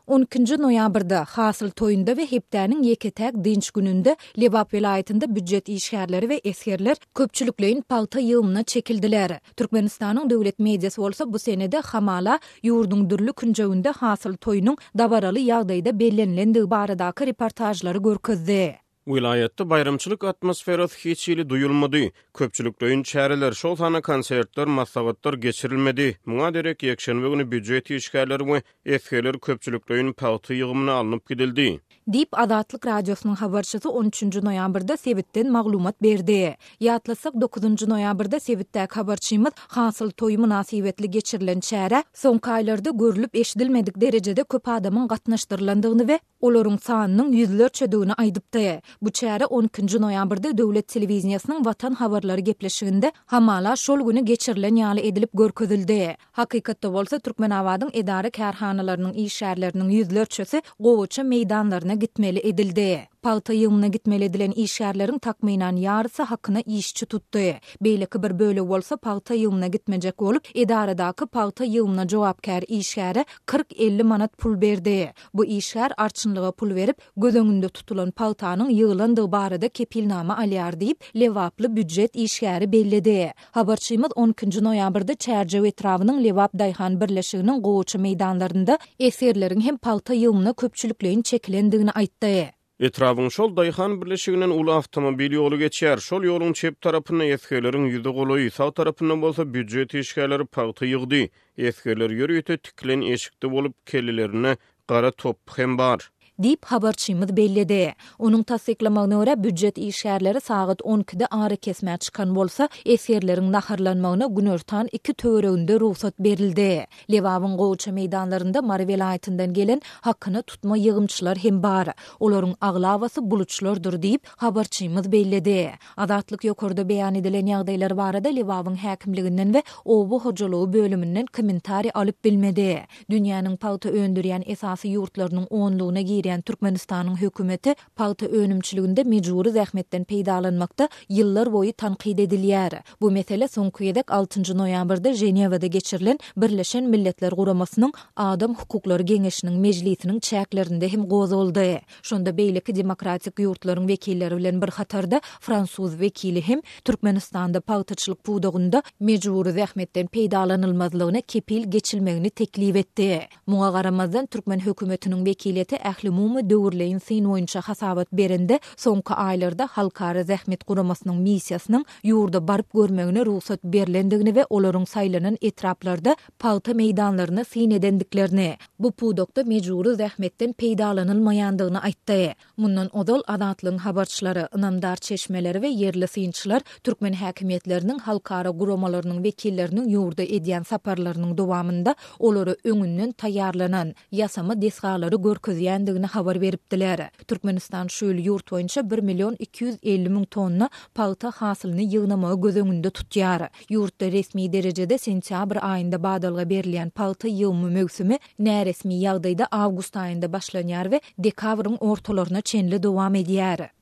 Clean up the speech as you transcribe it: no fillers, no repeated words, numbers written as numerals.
On ikinji noýabrda, Hasyl toýunda we hepdäniň ýeke-täk dynç gününde Lebap welaýatynda býujet işgärleri we esgerler köpçülikleýin pagta ýygymyna çekildiler. Türkmenistanyň döwlet mediasy bolsa bu senede hamala ýurduň dürli künjeginde Hasyl toýunyň dabaraly ýagdaýda bellenilendigi baradaky reportažlary görkezdi. Welaýatda baýramçylyk atmosferasy hiç hili duýulmady. Köpçülikleýin çäreler, şol sanda konsertler, maslahatlar geçirilmedi. Muňa derek ýekşenbe güni býujet işgärleri we esgerler köpçülikleýin pagta ýygymyna alnyp gidildi. Diýip, Azatlyk Radiosynyň habarçysy on üçünji noýabrda sebitden maglumat berdi. Ýatlasak, dokuzynjy noýabrda sebitdäki habarçymyz Hasyl toýy mynasybetli geçirilen çärä soňky aýlarda görlüp-eşidilmedik derejede köp adamyň gatnaşdyrylandygyny we olaryň sanynyň ýüzlerçedigini aýdypdy. Bu çäre on ikinji noýabrda döwlet telewideniýesiniň Watan habarlary gepleşiginde hamala şol güni geçirilen ýaly edilip görkezildi. Hakykatda bolsa Türkmenabadyň edara-kärhanalarynyň işgärleriniň ýüzlerçesi gowaça meýdanlaryna gitmeli edildi. Pagta ýygymyna gitmeli edilen işgärleriň takmynan ýarysy hakyna işçi tutdy. Beýleki bir bölegi bolsa pagta ýygymyna gitmejek bolup, edaradaky pagta ýygymyna jogapkär işgäre 40-50 manat pul berdi. Bu işgär arçynlyga pul berip, göz öňünde tutulan pagtanyň ýygylandygy barada kepilnama alýar diýip, lebaply býujet işgäri belledi. Habarçymyz on ikinji noýabrda Çärjew etrabynyň Lebap daýhan birleşiginiň gowaça meýdanlarynda esgerleriň hem pagta ýygymyna köpçülikleýin çekilendigini aýtdy. Etrabyň şol daýhan birleşiginden uly awtomobil ýoly geçýär. Şol ýoluň çep tarapynda esgerleriň ýüze golaýy, sag tarapynda bolsa býujet işgärleri pagta ýygdy. Esgerler ýörite tikilen eşikde bolup, kellelerinde gara topby hem bar. Diýip, habarçymyz belledi. Onuň tassyklamagyna görä, býujet işgärleri sagat on ikide arakesmä çykan bolsa, esgerleriň naharlanmagyna günortan iki töwereginde rugsat berildi. Lebabyň gowaça meýdanlarynda Mary welaýatyndan gelen hakyna tutma ýygymçylar hem bar. Olaryň aglabasy buluçlardyr diýip, habarçymyz belledi. Azatlyk ýokarda beýan edilen ýagdaýlar barada Lebabyň häkimliginden we oba hojalygy bölüminden kommentariý alyp bilmedi. Dünýäniň pagta öndürýän esasy ýurtlarynyň onlugyna girýän Türkmenistanyň hökümeti Pagta önümçiliginde mejbury zähmetden peýdalanmakda ýyllar boýy tankyt edilýär. Bu mesele soňky gezek altynjy noýabrda Ženewada geçirilen Birleşen Milletler Guramasynyň Adam hukuklary geňeşiniň mejlisiniň çäklerinde hem gozgaldy. Şonda beýleki demokratik ýurtlaryň wekilleri bilen bir hatarda fransuz wekili hem Türkmenistanda pagtaçylyk pudagynda mejbury zähmetden peýdalanylmazlygyna kepil geçilmegini teklip etdi. Muňa garamazdan, türkmen hökümetiniň wekiliýeti ählumumy döwürleýin syn boýunça hasabat berende, soňky aýlarda Halkara zähmet guramasynyň missiýasynyň ýurda baryp görmegine rugsat berlendigini we olaryň saýlanan etraplarda pagta meýdanlaryna syn edendiklerini, bu pudakda mejbury zähmetden peýdalanylmaýandygyny aýtdy. Mundan ozal, Azatlygyň habarçylary, ynamdar çeşmeleri we ýerli synçylar türkmen häkimiýetleriniň halkara guramalarynyň wekilleriniň ýurda edýän saparlarynyň dowamynda olara öňünden taýýarlanan, ýasama desgalary görkezýändigini habar beripdiler. Türkmenistan şu ýyl ýurt boýunça bir million 250 müň tonna pagta hasylyny ýygnamagy göz öňünde tutýar. Ýurtda resmi derejede sentýabr aýynda badalga berilýän pagta ýygymy möwsümi näresmi ýagdaýda awgust aýynda başlanýar we dekabryň ortalaryna çenli dowam edýär.